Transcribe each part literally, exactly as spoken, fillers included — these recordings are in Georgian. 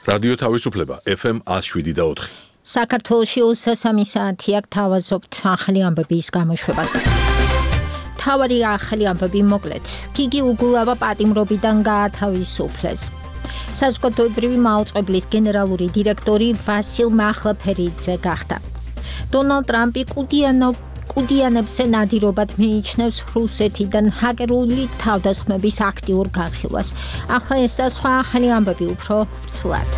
რადიო თავისუფლება ეფ ემ one oh seven point four. საქართველოში ოცდასამი საათი აქ თავაზობთ ახალი ამბების გამოშვებას. თავარი ახალი ამბები მოკლედ. გიგი უგულავა პატიმრობიდან გაათავისუფლეს. საზოგადოებრივი მაუწყებლის გენერალური დირექტორი ვასილ მახლაფერიძე გახდა. დონალდ ტრამპი კუდიანო კუდიანებზე ნადირობად მიიჩნევს რუსეთიდან ჰაკერული თავდასხმების აქტიურ განხილვას. ახლა ეს და სხვა ახალი ამბები უფრო ვრცლად.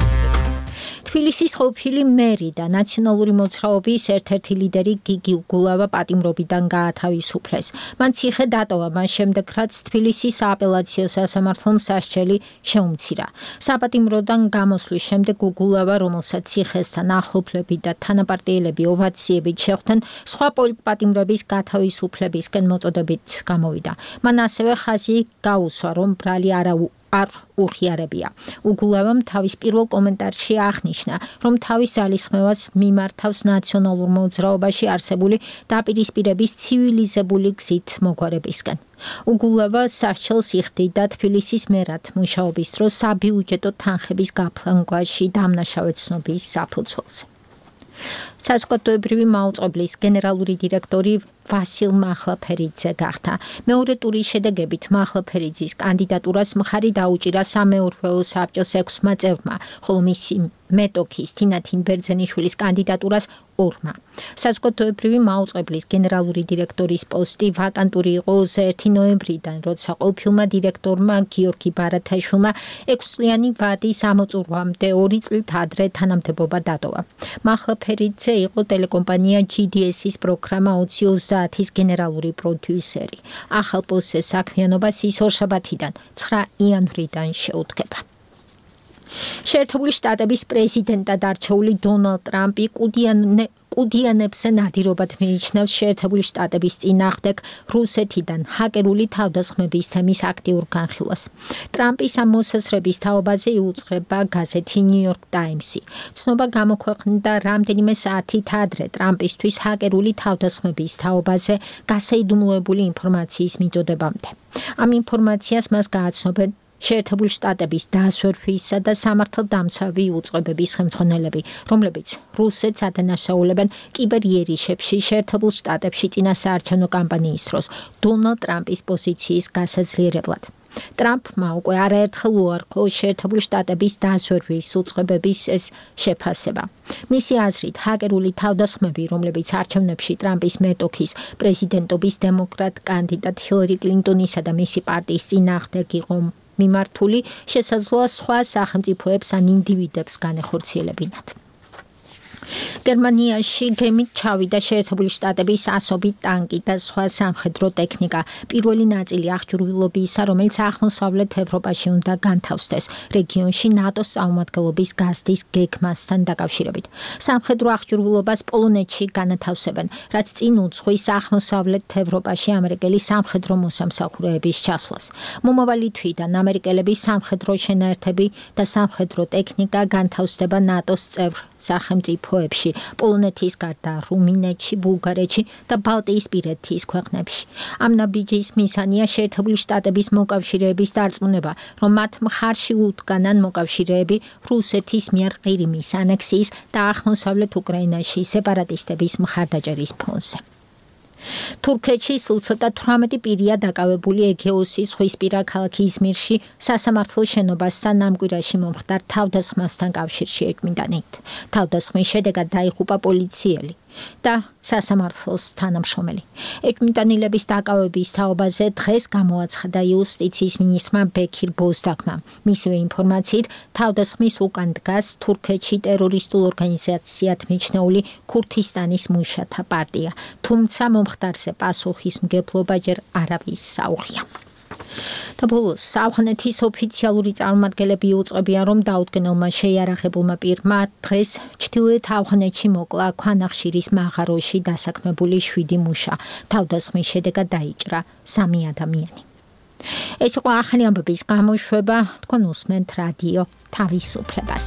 თბილისის ყოფილი მერი და ნაციონალური მოძრაობის ერთ-ერთი ლიდერი გიგი უგულავა პატიმრობიდან გაათავისუფლეს. მან ციხე დატოვა მას შემდეგ, რაც თბილისის სააპელაციო სასამართლომ სასჯელი შეუმცირა. საპატიმროდან გამოსვლის შემდეგ უგულავა, რომელსაც ციხესთან ახლობლები და თანაპარტიელები ოვაციებით შეხვდნენ, სხვა პოლიტპატიმრების გათავისუფლებისკენ მოწოდებით გამოვიდა. მან ასევე ხაზი გაუსვა, რომ ბრალი არა არ უხიარებია. უგულავამ თავის პირველ კომენტარში აღნიშნა, რომ თავის ძალისხმევას მიმართავს ნაციონალურ მოძრაობაში არსებული დაპირისპირების ცივილიზებული გზით მოგვარებისკენ. უგულავა სასჯელს იხდიდა თბილისის მერად მუშაობის დროს საბიუჯეტო თანხების გაფლანგვაში დამნაშავე ცნობის საფუძველზე. საზოგადოებრივი მაუწყებლის გენერალური დირექტორი ვასილ მახლაფერიძე გახდა. მეორე ტურის შედეგებით მახლაფერიძის კანდიდატურას მხარი დაუჭირა სამეურვეო საბჭოს ექვსმა წევრმა, ხოლო მისი მეტოქის თინათინ ბერძენიშვილის კანდიდატურას ორმა. საზოგადოებრივი მაუწყებლის გენერალური დირექტორის პოსტი ვაკანტური იყო ოცდაერთი ნოემბრიდან, როცა ყოფილმა დირექტორმა გიორგი ბარათაშვილმა ექვსწლიანი ვადის ამოწურვამდე ორი წლით ადრე თანამდებობა დატოვა. მახლაფერიძე იყო ტელეკომპანია ჯი დი ეს-ის პროგრამა ოცი ოცდაათის გენერალური პროდიუსერი. ახალ პოსტზე საქმიანობას ის ორშაბათიდან ცხრა იანვრიდან შეუდგება. შეერთებული შტატების პრეზიდენტად არჩეული დონალდ ტრამპი კუდიანე კუდიანებზე ნადირობად მიიჩნევს შეერთებული შტატების წინააღმდეგ რუსეთიდან ჰაკერული თავდასხმების თემის აქტიურ განხილვას. ტრამპის ამ მოსაზრების თაობაზე იუწყება გაზეთი ნიუ-იორკ ტაიმსი. ცნობა გამოქვეყნდა რამდენიმე საათით ადრე ტრამპისთვის ჰაკერული თავდასხმების თაობაზე გასაიდუმლოებული ინფორმაციის მიწოდებამდე. ამ ინფორმაციას მას გააცნობენ შეერთებული შტატების დასვერვისა და სამართალდამცავი უწყებების ხელმძღვანელები, რომლებიც რუსეთს ადანაშაულებენ კიბერიერიშებში შეერთებულ შტატებში წინასაარჩევნო კამპანიის დროს დონალდ ტრამპის პოზიციის გასაძლიერებლად. ტრამპმა უკვე არაერთხელ უარყო შეერთებული შტატების დასვერვის უწყებების ეს შეფასება. მისი აზრით, ჰაკერული თავდასხმები, რომლებიც არჩევნებში ტრამპის მეტოქის პრეზიდენტობის დემოკრატ კანდიდატ ჰილარი კლინტონისა და მისი პარტიის წინააღმდეგ იყო მიმართული, შესაძლოა სხვა სახელმწიფოებს ან ინდივიდებს განეხორციელებინათ. გერმანიაში გემით ჩავიდა შეერთებული შტატების ასობით ტანკი და სხვა სამხედრო ტექნიკა. პირველი ნაწილი აღჭურვილობისა, რომელიც აღმოსავლეთ ევროპაში უნდა განთავსდეს რეგიონში ნატოს წარმომადგენლობის გაზრდის გეგმასთან დაკავშირებით. სამხედრო აღჭურვილობას პოლონეთში განათავსებენ, რაც წინ უძღვის აღმოსავლეთ ევროპაში ამერიკელი სამხედრო მოსამსახურეების ჩასვლას. მომავალი თვიდან ამერიკელების სამხედრო შენაერთები და სამხედრო ტექნიკა განთავსდება ნატოს წევრ სახელმწიფოებში, პოლონეთის გარდა რუმინეთში, ბულგარეთში და ბალტიისპირეთის ქვეყნებში. ამ ნაბიჯის მიზანია შეერთებული შტატების მოკავშირეების დარწმუნება, რომ მათ მხარში უდგანან მოკავშირეები რუსეთის მიერ ყირიმის ანექსიის და აღმოსავლეთ უკრაინაში სეპარატისტების მხარდაჭერის ფონზე. თურქეთში სულ ცოტა თვრამეტი პირია დაკავებული ეგეოსის ზღვისპირა ქალაქ იზმირში სასამართლო შენობასთან ამ კვირაში მომხდარ თავდასხმასთან კავშირში ეჭვმიტანით. თავდასხმის შედეგად დაიღუპა პოლიციელი და სასამართლოს თანამშრომელი. ეჭვმიტანილების დაკავების თაობაზე დღეს გამოაცხადა იუსტიციის მინისტრმა ბექირ ბოზდაგმა. მისივე ინფორმაციით, თავდასხმის უკან დგას თურქეთში ტერორისტულ ორგანიზაციად მიჩნეული ქურთისტანის მუშათა პარტია, თუმცა მომხდარზე პასუხისმგებლობა ჯერ არავის საუღია. და ბოლოს ავღანეთის ოფიციალური წარმომადგენლები უწყებიან, რომ დაუდგენელმა შეიარაღებულმა პირმა დღეს ჩრდილოეთ ავღანეთში მოკლა ქვანახშირის მაღაროში დასაქმებული შვიდი მუშა. თავდასხმის შედეგად დაიჭრა სამი ადამიანი. ეს იყო ახალი ამბების გამოშვება, თქვენ უსმენთ რადიო თავისუფლებას.